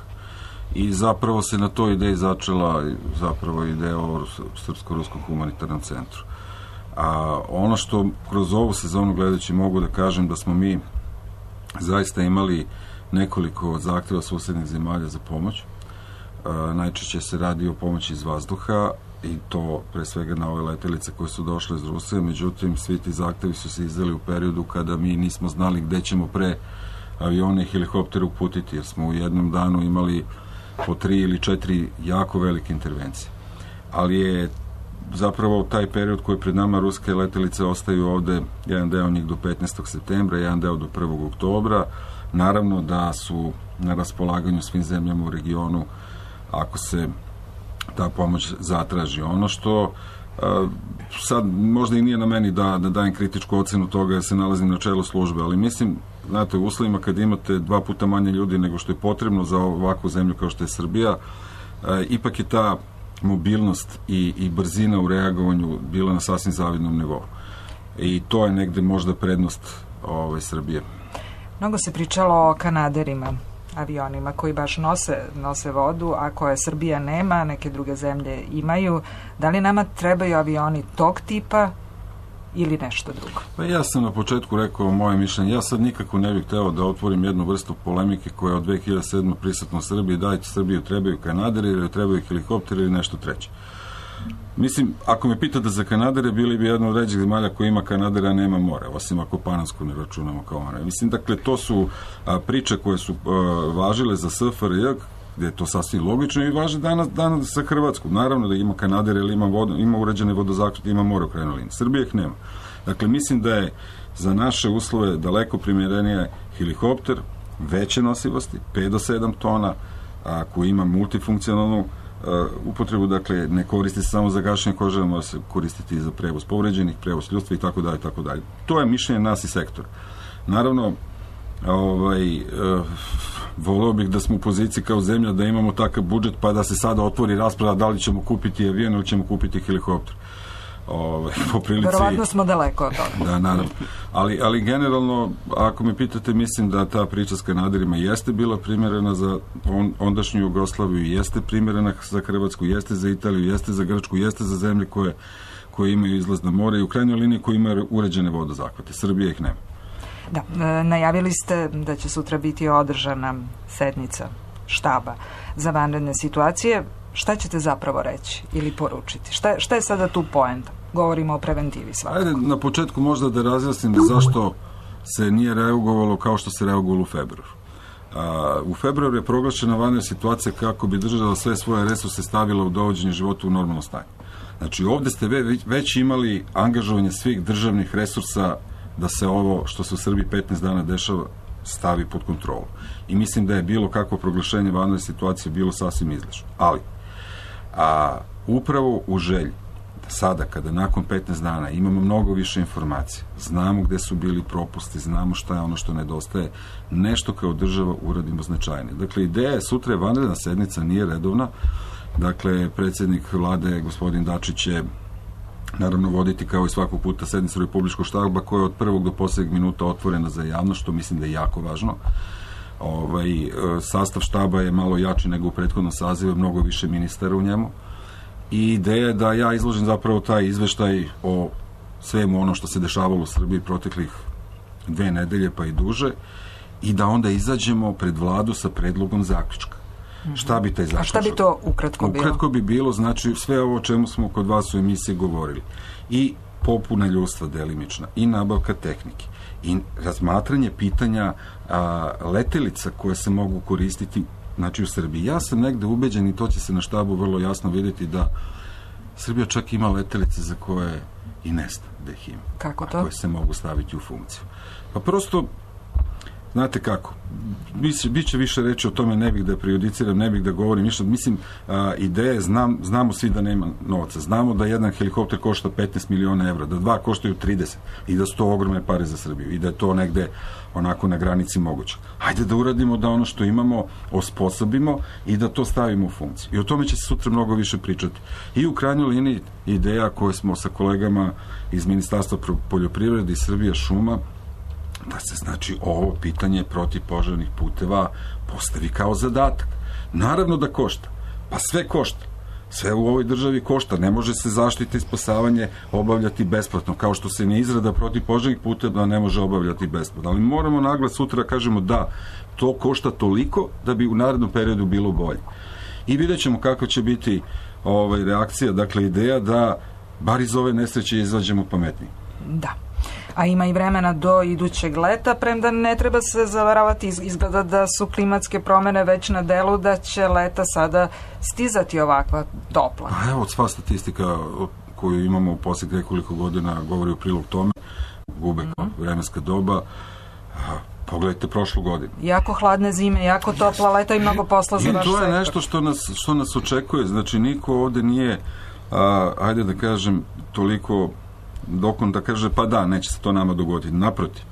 I zapravo se na toj ideji začela zapravo ideja o Srpsko-ruskom humanitarnom centru. A ono što kroz ovu sezonu gledajući mogu da kažem da smo mi zaista imali nekoliko zahteva susednih zemalja za pomoć. Najčešće se radi o pomoći iz vazduha i to pre svega na ove letelice koje su došle iz Rusije, međutim svi ti zahtevi su se izdali u periodu kada mi nismo znali gde ćemo pre avione i helikoptere uputiti, jer smo u jednom danu imali po 3 ili 4 jako velike intervencije. Ali je zapravo taj period koji pred nama ruske letelice ostaju ovde, jedan deo njih do 15. septembra, jedan deo do 1. oktobra. Naravno da su na raspolaganju svim zemljama u regionu ako se ta pomoć zatraži. Ono što sad možda i nije na meni da dajem kritičku ocenu toga jer se nalazim na čelu službe, ali mislim, znate, u uslovima kad imate 2 puta manje ljudi nego što je potrebno za ovakvu zemlju kao što je Srbija, ipak je ta mobilnost i brzina u reagovanju bila na sasvim zavidnom nivou. I to je negde možda prednost Srbije.
Mnogo se pričalo o kanaderima, avionima koji baš nose vodu, a koje Srbija nema, neke druge zemlje imaju. Da li nama trebaju avioni tog tipa ili nešto drugo?
Pa ja sam na početku rekao moje mišljenje. Ja sad nikako ne bih hteo da otvorim jednu vrstu polemike koja je od 2007. prisutna u Srbiji. Dajte Srbiju trebaju kanaderi ili trebaju helikopteri ili nešto treće. Mislim, ako me pitate za kanadere, bili bi jedna od ređih zemalja koja ima kanadere, a nema more, osim ako Panansku ne računamo kao more. Mislim, dakle, to su priče koje su važile za SFRJ, gde je to sasvim logično i važe danas sa Hrvatskom. Naravno da ima kanadere ili ima uređene vodozahvate, ima more u krajnjoj liniji. Srbije ih nema. Dakle, mislim da je za naše uslove daleko primjerenije helikopter veće nosivosti, 5 do 7 tona, koji ima multifunkcionalnu upotrebu, dakle, ne koristi se samo za gašenje kože, mora se koristiti i za prevoz povređenih, prevoz ljudstva i tako dalje, tako dalje. To je mišljenje nas i sektora. Naravno, voleo bih da smo u poziciji kao zemlja da imamo takav budžet pa da se sada otvori rasprava da li ćemo kupiti avion ili ćemo kupiti helikopter. Po prilici...
Verovatno smo daleko od toga.
Da, naravno. Ali generalno, ako me pitate, mislim da ta priča s kanaderima jeste bila primjerena za ondašnju Jugoslaviju, jeste primjerena za Hrvatsku, jeste za Italiju, jeste za Grčku, jeste za zemlje koje imaju izlaz na more i u krajnjoj liniji koje imaju uređene vodozahvate. Srbija ih nema.
Da, najavili ste da će sutra biti održana sednica štaba za vanredne situacije. Šta ćete zapravo reći ili poručiti? Šta je sada tu poenta? Govorimo o preventivi svakako.
Ajde, na početku možda da razjasnim zašto se nije reagovalo kao što se reagovalo u februaru. U februaru je proglašena vanredna situacija kako bi država sve svoje resurse stavila u dovođenje života u normalno stanje. Znači, ovde ste već imali angažovanje svih državnih resursa da se ovo što se u Srbiji 15 dana dešava stavi pod kontrolu. I mislim da je bilo kakvo proglašenje vanredne situacije bilo sasvim izlišno. Ali, upravo u želji sada, kada nakon 15 dana imamo mnogo više informacija, znamo gde su bili propusti, znamo šta je ono što nedostaje, nešto kao država uradimo značajnije. Dakle, ideja je sutra je vanredna sednica, nije redovna. Dakle, predsjednik vlade, gospodin Dačić, će naravno voditi kao i svakog puta sednicu Republičkog štaba koja je od prvog do posljednjeg minuta otvorena za javnost, što mislim da je jako važno. Sastav štaba je malo jači nego u prethodnom sazivu, mnogo više ministara u njemu i ideja je da ja izložim zapravo taj izveštaj o svemu ono što se dešavalo u Srbiji proteklih 2 nedelje pa i duže i da onda izađemo pred vladu sa predlogom zaključka. Šta bi taj zaključak?
A šta bi to ukratko bilo?
Ukratko bi bilo, znači, sve ovo o čemu smo kod vas u emisiji govorili. I popuna ljudstva delimična, i nabavka tehnike, i razmatranje pitanja letelica koje se mogu koristiti znači u Srbiji. Ja sam negde ubeđen i to će se na štabu vrlo jasno vidjeti da Srbija čak ima letelice za koje i ne zna da ih ima.
Kako to?
Koje se mogu staviti u funkciju. Pa prosto, znate kako, biće više reći o tome, ne bih da prejudiciram, ne bih da govorim ništa. Mislim, ideje, znamo svi da nema novca. Znamo da jedan helikopter košta 15 miliona evra, da dva koštaju 30 i da su to ogromne pare za Srbiju i da je to negde onako na granici moguće. Hajde da uradimo da ono što imamo osposobimo i da to stavimo u funkciju. I o tome će se sutra mnogo više pričati. I u krajnjoj liniji ideja koje smo sa kolegama iz Ministarstva poljoprivrede i Srbija šuma, da se znači ovo pitanje protivpožarnih puteva postavi kao zadatak. Naravno da košta. Pa sve košta. Sve u ovoj državi košta. Ne može se zaštita i spasavanje obavljati besplatno, kao što se ni izrada protivpožarnih puteva ne može obavljati besplatno. Ali moramo naglas sutra da kažemo da to košta toliko da bi u narednom periodu bilo bolje. I vidjet ćemo kako će biti reakcija, dakle ideja da bar iz ove nesreće izađemo pametniji.
Da. A ima i vremena do idućeg leta, premda ne treba se zavaravati, izgleda da su klimatske promjene već na delu, da će leta sada stizati ovakva topla.
A evo, sva statistika koju imamo u posljednjih nekoliko godina govori u prilog tome, gube vremenska doba. Pogledajte prošlu godinu.
Jako hladne zime, jako topla leta i mnogo posla za vaš sektor.
I to je nešto što nas očekuje. Znači, niko ovde nije, ajde da kažem, toliko dokon da kaže, pa da, neće se to nama dogoditi. Naprotiv.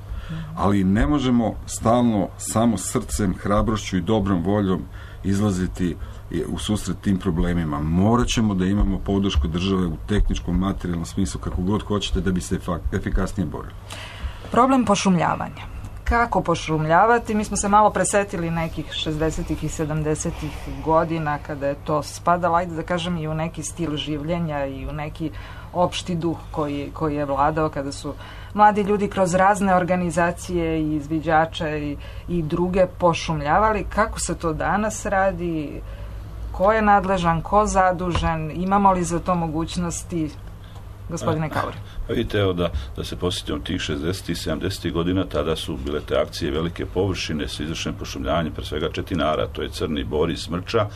Ali ne možemo stalno samo srcem, hrabrošću i dobrom voljom izlaziti u susret tim problemima. Morat ćemo da imamo podršku države u tehničkom, materijalnom smislu, kako god hoćete, da bi se efikasnije borili.
Problem pošumljavanja. Kako pošumljavati? Mi smo se malo presetili nekih 60-ih i 70-ih godina kada je to spadalo, ajde da kažem, i u neki stil življenja i u neki opšti duh koji je vladao kada su mladi ljudi kroz razne organizacije i izviđače i druge pošumljavali. Kako se to danas radi? Ko je nadležan? Ko zadužen? Imamo li za to mogućnosti? Gospodine Kauri.
Vidite, evo da se posjetimo tih 60. i 70. godina, tada su bile te akcije velike površine sa izvršenim pošumljavanjem, pre svega četinara, to je Crni Bor i Smrča,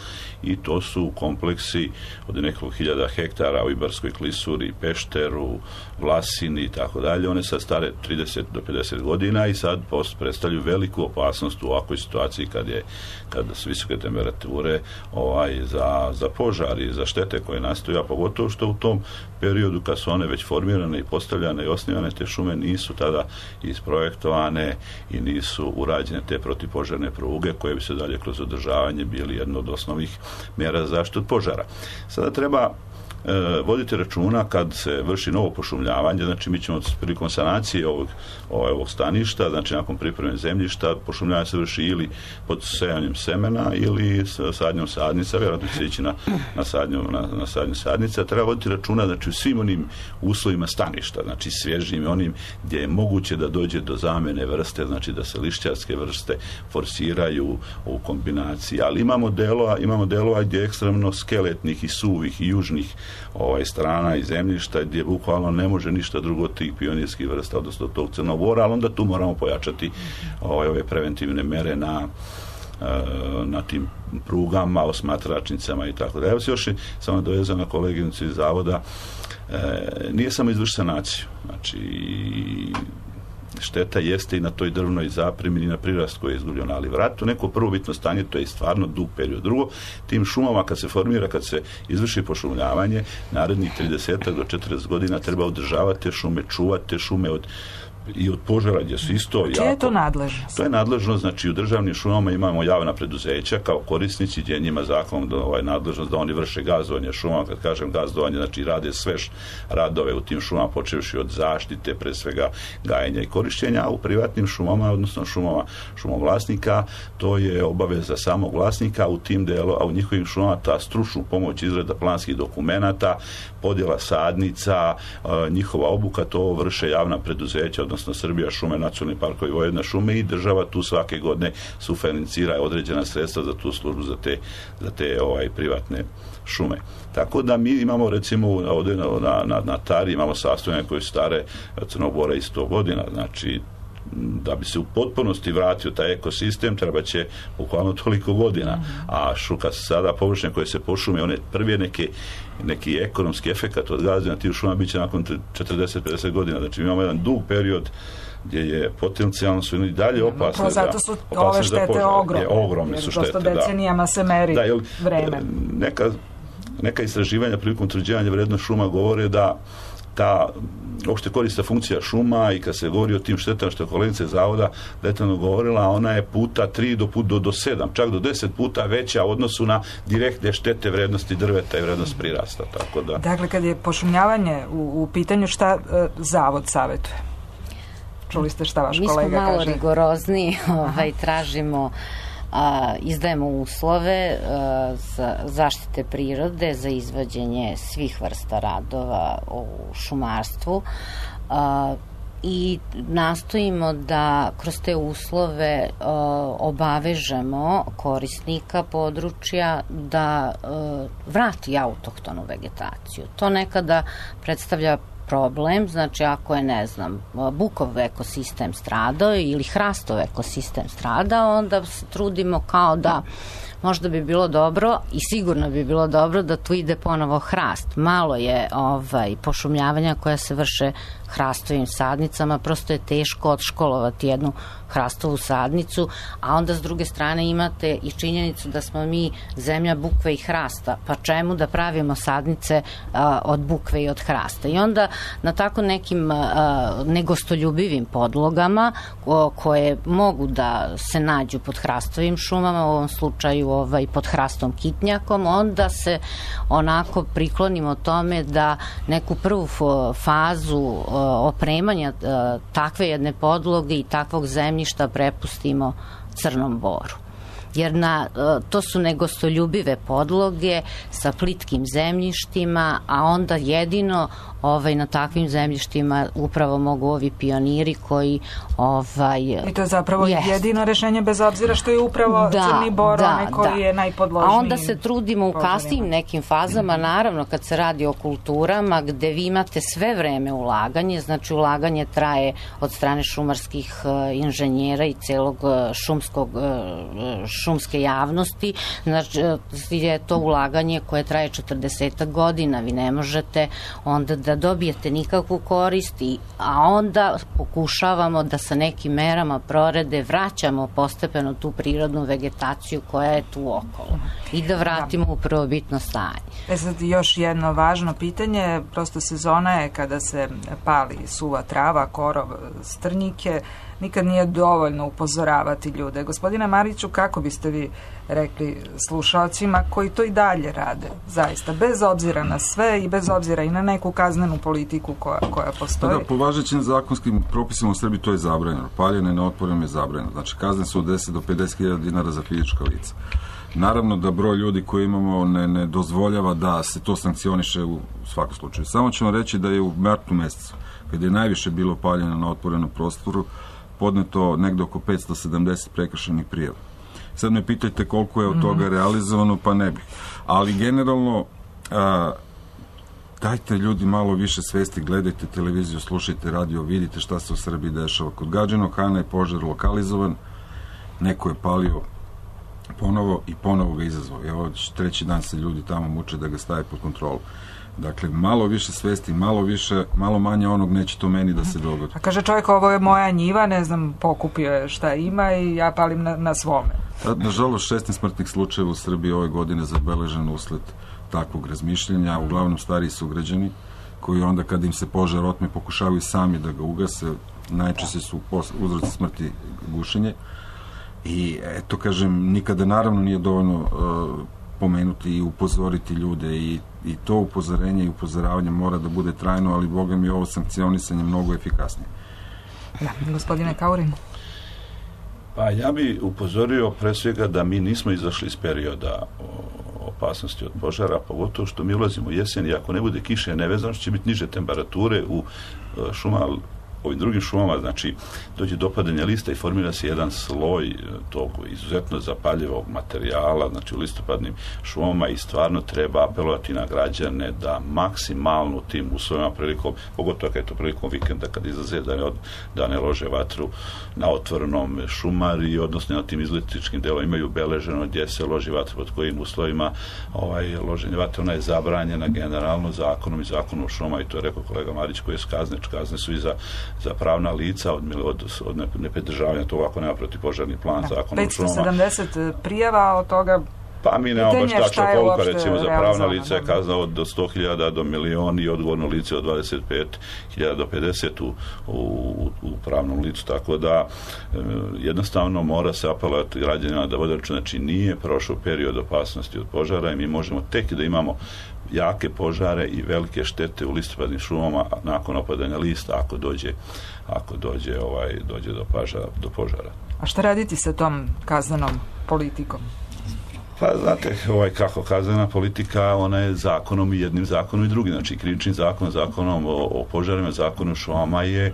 i to su kompleksi od nekoliko hiljada hektara u Ibarskoj klisuri, Pešteru, Vlasini i tako dalje. One sad stare 30 do 50 godina i sad predstavljaju veliku opasnost u ovakvoj situaciji kada su visoke temperature za požar i za štete koje nastaju, a pogotovo što u tom periodu kad su one već formirane i postavljane i osnivane, te šume nisu tada isprojektovane i nisu urađene te protivpožarne pruge koje bi se dalje kroz održavanje bili jedno od osnovnih mjera za zaštitu od požara. Sada treba vodite računa kad se vrši novo pošumljavanje, znači mi ćemo prilikom sanacije ovog staništa, znači nakon pripreme zemljišta, pošumljavanje se vrši ili pod sejanjem semena ili sadnjom sadnica, vjerojatno će ići na sadnju sadnica. Treba voditi računa, znači u svim onim uslovima staništa, znači svježim onim gdje je moguće da dođe do zamene vrste, znači da se lišćarske vrste forsiraju u kombinaciji, ali imamo delova gdje je ekstremno skeletnih i suvih i južnih strana i zemljišta gdje bukvalno ne može ništa drugo od tih pionirskih vrsta, odnosno tog Crnog Bora, ali onda tu moramo pojačati ove preventivne mere na tim prugama, osmatračnicama i tako da. Evo se još samo dovezao na koleginicu iz zavoda, nije samo izvrši sanaciju, znači šteta jeste i na toj drvnoj zapremi i na prirast koji je izgubljen, ali vratu neko prvobitno stanje, to je stvarno dug period. Drugo, tim šumama kad se formira, kad se izvrši pošumljavanje, narednih 30 do 40 godina treba održavati te šume, čuvati te šume od požara gdje su isto jako...
Čije je to nadležnost?
To je nadležnost, znači u državnim šumama imamo javna preduzeća kao korisnici gdje njima zakon nadležnost da oni vrše gazdovanje šumama. Kad kažem gazdovanje, znači rade sve radove u tim šumama, počevši od zaštite, pre svega gajenja i korištenja, a u privatnim šumama, odnosno šumovlasnika, to je obaveza samog vlasnika u tim delu, a u njihovim šumama ta stručnu pomoć, izrada planskih dokumenata, podjela sadnica, njihova obuka, to vrše javna preduzeća, odnosno Srbija šume, nacionalni parkovi, Vojvodina šume, i država tu svake godine sufinancira određena sredstva za tu službu, za te privatne šume. Tako da mi imamo recimo ovdje na Tari imamo sastojanje koje su stare Crnog Bora i 100 godina, znači da bi se u potpunosti vratio taj ekosistem, treba će bukvalno toliko godina. A šuka sada površine koje se pošume, one prvi neki ekonomski efekat od gazdanja tih šuma bit će nakon 40-50 godina. Znači imamo jedan dug period gdje je potencijalno su i dalje opasne.
Zato su ove štete ogromne.
Su štete,
prosto decenijama se meri vreme.
Neka istraživanja prilikom utvrđivanja vrednosti šuma govore da ta opšte korisna funkcija šuma i kad se govori o tim štetama što je kolegica zavoda detaljno govorila, ona je puta 3 do 7, čak do 10 puta veća u odnosu na direktne štete vrednosti drveta i vrednost prirasta. Tako da.
Dakle, kad je pošumljavanje u pitanju, šta zavod savjetuje? Čuli ste šta vaš kolega kaže?
Mi smo malo rigorozniji, tražimo, izdajemo uslove za zaštite prirode, za izvođenje svih vrsta radova u šumarstvu i nastojimo da kroz te uslove obavežemo korisnika područja da vrati autohtonu vegetaciju. To nekada predstavlja problem, znači ako je, ne znam, bukov ekosistem stradao ili hrastov ekosistem stradao, onda se trudimo kao da možda bi bilo dobro i sigurno bi bilo dobro da tu ide ponovo hrast. Malo je pošumljavanja koja se vrše hrastovim sadnicama, prosto je teško odškolovati jednu hrastovu sadnicu, a onda s druge strane imate i činjenicu da smo mi zemlja bukve i hrasta, pa čemu da pravimo sadnice od bukve i od hrasta. I onda na tako nekim negostoljubivim podlogama koje mogu da se nađu pod hrastovim šumama, u ovom slučaju pod hrastom kitnjakom, onda se onako priklonimo tome da neku prvu fazu opremanja takve jedne podloge i takvog zemljišta prepustimo Crnom Boru. Jer to su negostoljubive podloge sa plitkim zemljištima, a onda jedino na takvim zemljištima upravo mogu ovi pioniri koji
I to je zapravo jedino rešenje, bez obzira što je upravo Crni Bor onaj koji je najpodložniji.
A onda se trudimo u kasnijim nekim fazama, naravno kad se radi o kulturama gde vi imate sve vreme ulaganje, znači ulaganje traje od strane šumarskih inženjera i celog šumske javnosti, znači je to ulaganje koje traje 40 godina, vi ne možete onda da dobijete nikakvu korist, a onda pokušavamo da sa nekim merama prorede vraćamo postepeno tu prirodnu vegetaciju koja je tu okolo i da vratimo u prvobitno stanje.
Sad još jedno važno pitanje, prosto sezona je kada se pali suva trava, korov, strnjike, nikad nije dovoljno upozoravati ljude. Gospodine Mariću, kako biste vi rekli slušalcima koji to i dalje rade, zaista, bez obzira na sve i bez obzira i na neku kaznenu politiku koja postoji?
Da, po važećim zakonskim propisima u Srbiji to je zabranjeno. Paljenje na otvorenom je zabranjeno. Znači, kazne su od 10 do 50.000 dinara za fizička lica. Naravno da broj ljudi koji imamo ne dozvoljava da se to sankcioniše u svakom slučaju. Samo ćemo reći da je u martu mesecu, kada je najviše bilo paljeno na otvorenom prostoru, podneto negde oko 570 prekršajnih prijava. Sad me pitajte koliko je od toga realizovano, pa ne bih. Ali generalno, dajte ljudi malo više svesti, gledajte televiziju, slušajte radio, vidite šta se u Srbiji dešava. Kod Gadžinog Hana je požar lokalizovan, neko je palio ponovo i ponovo ga izazvao. Evo, treći dan se ljudi tamo muče da ga stave pod kontrolu. Dakle, malo više svesti, malo manje onog neće to meni da se dogodi.
A kaže čovjek, ovo je moja njiva, ne znam, pokupio je šta ima i ja palim na svome.
Nažalost, 16 smrtnih slučajeva u Srbiji ove godine zabeleženo usled takvog razmišljanja, uglavnom stariji sugrađani, koji onda kad im se požar otme pokušavaju sami da ga ugase, najčešće su uzroci smrti gušenje. I eto, kažem, nikada naravno nije dovoljno pomenuti i upozoriti ljude i to upozorenje i upozoravanje mora da bude trajno, ali Boga mi ovo sankcionisanje mnogo efikasnije.
Da, gospodine Kaurin.
Pa ja bi upozorio pre svega da mi nismo izašli iz perioda opasnosti od požara, pogotovo što mi ulazimo u jesen i ako ne bude kiše nevezano, će biti niže temperature u šuma ovim drugim šumama, znači dođe do opadanja lista i formira se jedan sloj tog izuzetno zapaljivog materijala, znači u listopadnim šumama, i stvarno treba apelovati na građane da maksimalno u tim uslovima prilikom, pogotovo kad je to prilikom vikenda kad izlaze, da ne lože vatru na otvorenom, šumari, odnosno na tim izletičkim delom imaju beleženo gdje se loži vatru, pod kojim uslovima loženje vatre, ona je zabranjena generalno zakonom i zakonom o šumama, i to je rekao kolega Marić, koji je kazne su i za pravna lica od nepridržavanja toga ako nema protivpožarni plan, zakon o šumama.
570 prijava, od toga
pa mi nemamo baš tačno koliko, recimo za pravna lica je kazna od 100.000 do milion i odgovorno lice od 25.000 do 50 u pravnom licu, tako da jednostavno mora se apelovati građanima da vode računa, znači nije prošao period opasnosti od požara i mi možemo tek da imamo jake požare i velike štete u listopadnim šumama nakon opadanja lista ako dođe do požara.
A šta raditi sa tom kaznenom politikom?
Pa znate, kako kaznena politika, ona je zakonom i jednim zakonom i drugim, znači krivičnim zakonom o požarima, zakonom o šumama je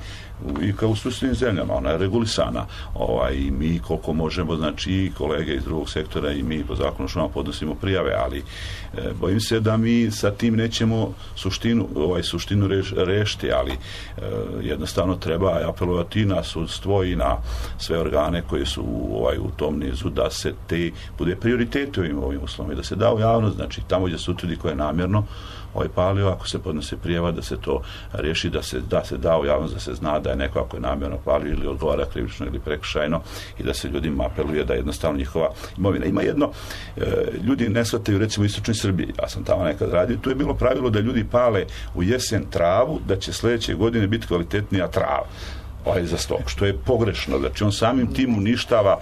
i kao u susjednim zemljama, ona je regulisana. I mi koliko možemo, znači i kolege iz drugog sektora i mi po zakonu o šumama podnosimo prijave, ali bojim se da mi sa tim nećemo suštinu rešiti, ali jednostavno treba apelovati na sudstvo i na sve organe koji su u tom nizu da se bude prioritet u ovim uslovima i da se da u javnost, znači tamo gdje se utvrdi ko je namjerno palio, ako se podnose prijava da se to riješi, da se da u javnost, da se zna da je neko ako je namjerno palio ili odgovara krivično ili prekršajno i da se ljudima apeluje da jednostavno njihova imovina. Ima jedno, ljudi ne shvataju, recimo u istočnoj Srbiji, ja sam tamo nekad radio, tu je bilo pravilo da ljudi pale u jesen travu, da će sljedeće godine biti kvalitetnija trava za stok, što je pogrešno. Znači on samim tim uništava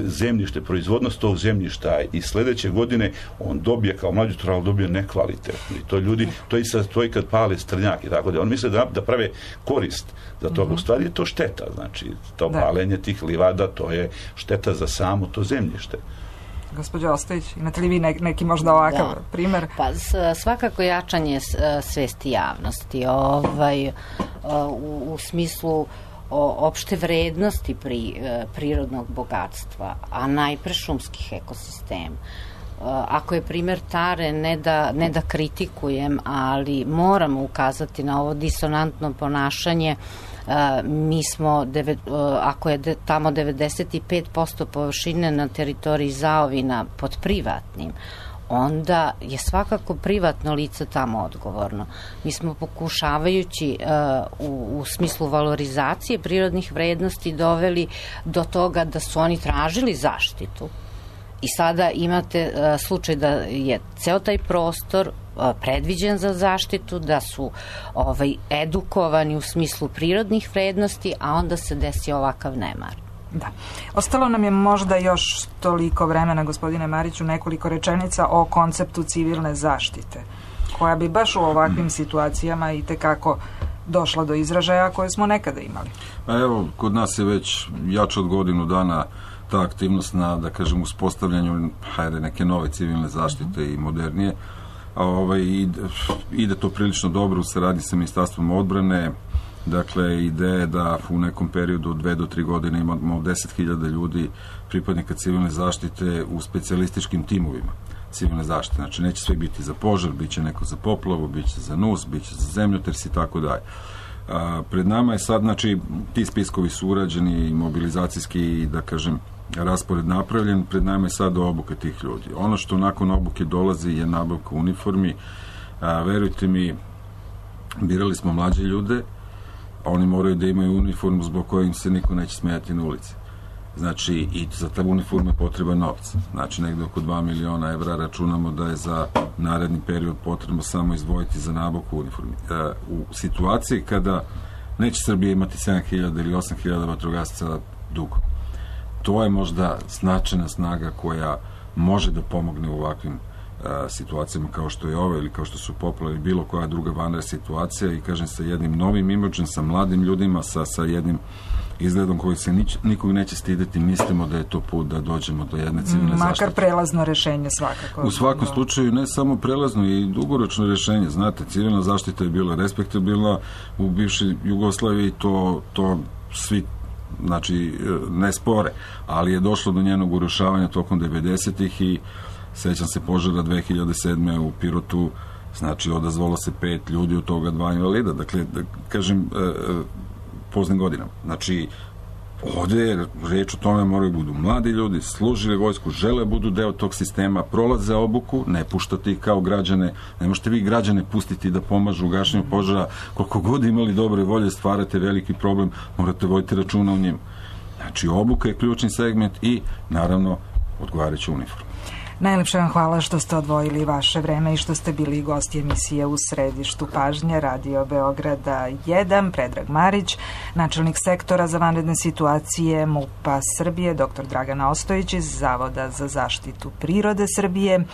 zemljište, proizvodnost tog zemljišta i sljedeće godine on dobije kao mlađu travu, dobije nekvalitetno. I to ljudi, to i kad pale strnjak i tako da. On misle da prave korist za toga. U stvari je to šteta. Znači, to palenje tih livada, to je šteta za samo to zemljište.
Gospođo Ostojić, imate li vi neki možda ovakav primjer?
Pa svakako jačanje svesti javnosti u smislu opšte vrednosti prirodnog bogatstva, a najpre šumskih ekosistema. Ako je primjer Tare, ne da kritikujem, ali moramo ukazati na ovo disonantno ponašanje. Mi smo, ako je tamo 95% površine na teritoriji zaovina pod privatnim, onda je svakako privatno lice tamo odgovorno. Mi smo pokušavajući u smislu valorizacije prirodnih vrednosti doveli do toga da su oni tražili zaštitu. I sada imate slučaj da je ceo taj prostor predviđen za zaštitu, da su edukovani u smislu prirodnih vrednosti, a onda se desi ovakav nemar.
Da. Ostalo nam je možda još toliko vremena, gospodine Mariću, nekoliko rečenica o konceptu civilne zaštite, koja bi baš u ovakvim situacijama i tekako došla do izražaja koje smo nekada imali.
Evo, kod nas je već jače od godinu dana ta aktivnost na, da kažem, uspostavljanju neke nove civilne zaštite i modernije. Ide to prilično dobro u saradnji sa Ministarstvom odbrane. Dakle, ideja je da u nekom periodu od 2 do 3 godine imamo 10.000 ljudi, pripadnika civilne zaštite u specijalističkim timovima civilne zaštite. Znači, neće sve biti za požar, bit će neko za poplavu, bit će za NUS, bit će za zemljotres i tako dalje. Pred nama je sad, znači, ti spiskovi su urađeni i mobilizacijski, da kažem, raspored napravljen, pred nama je sad obuke tih ljudi. Ono što nakon obuke dolazi je nabavka uniformi. Verujte mi, birali smo mlađe ljude, a oni moraju da imaju uniformu zbog koje im se niko neće smijati na ulici. Znači, i za ta uniforma je potreba novca. Znači, negde oko 2 miliona evra računamo da je za naredni period potrebno samo izdvojiti za nabavku uniformi. U situaciji kada neće Srbija imati 7.000 ili 8.000 vatrogasaca dugo. To je možda značajna snaga koja može da pomogne u ovakvim situacijama kao što je ova ili kao što su poplave ili bilo koja druga vanredna situacija i kažem sa jednim novim imidžem, sa mladim ljudima, sa jednim izgledom koji se nikog neće stideti, mislimo da je to put da dođemo do jedne civilne zaštite.
Makar prelazno rešenje svakako.
U svakom slučaju ne samo prelazno i dugoročno rešenje. Znate, civilna zaštita je bila respektabilna u bivšoj Jugoslaviji, to svi ne spore, ali je došlo do njenog urušavanja tokom 90-ih i sećam se požara 2007. u Pirotu, odazvalo se 5 ljudi, od toga 2 invalida. Dakle, kažem, poznim godinama. Ovdje je reč o tome moraju budu mladi ljudi, služili vojsku, žele budu deo tog sistema, prolaze obuku, ne puštati ih kao građane, ne možete vi građane pustiti da pomažu u gašenju požara, koliko god imali dobre volje, stvarate veliki problem, morate voditi računa o njima. Obuka je ključni segment i, naravno, odgovarajuća uniforma.
Najlepše vam hvala što ste odvojili vaše vreme i što ste bili gosti emisije U središtu pažnje Radio Beograda 1, Predrag Marić, načelnik sektora za vanredne situacije MUP-a Srbije, dr. Dragana Ostojić iz Zavoda za zaštitu prirode Srbije,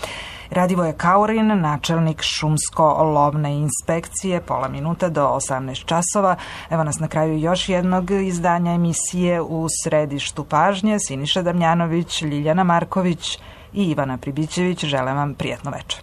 Radivoje Kaurin, načelnik šumsko-lovne inspekcije, pola minuta do 18 časova. Evo nas na kraju još jednog izdanja emisije U središtu pažnje. Siniša Damjanović, Ljiljana Marković i Ivana Pribićević žele vam prijatno večer.